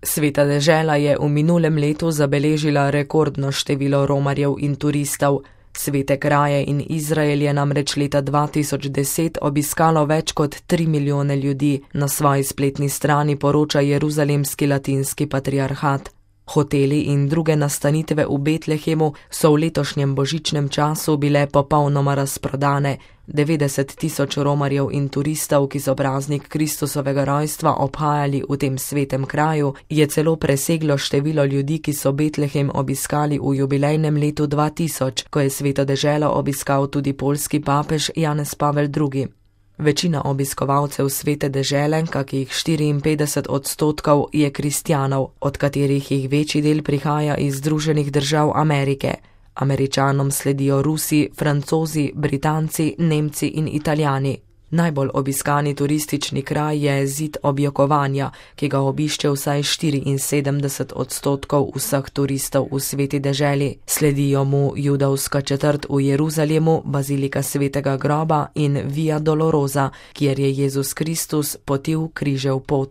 Sveta dežela je v minulem letu zabeležila rekordno število romarjev in turistov. Svete kraje in Izrael je namreč leta 2010 obiskalo več kot 3 milijone ljudi, na svoji spletni strani poroča jeruzalemski latinski patriarhat. Hoteli in druge nastanitve v Betlehemu so v letošnjem božičnem času bile popolnoma razprodane. 90 tisoč romarjev in turistov, ki so praznik Kristusovega rojstva obhajali v tem svetem kraju, je celo preseglo število ljudi, ki so Betlehem obiskali v jubilejnem letu 2000, ko je sveto deželo obiskal tudi poljski papež Janez Pavel II. Večina obiskovalcev svete dežele, kakih 54%, je kristjanov, od katerih jih večji del prihaja iz Združenih držav Amerike. Američanom sledijo Rusi, Francozi, Britanci, Nemci in Italijani. Najbolj obiskani turistični kraj je Zid objokovanja, ki ga obišče vsaj 74% vseh turistov v sveti deželi. Sledijo mu judovska četrt v Jeruzalemu, bazilika svetega groba in Via Dolorosa, kjer je Jezus Kristus potil križev pot.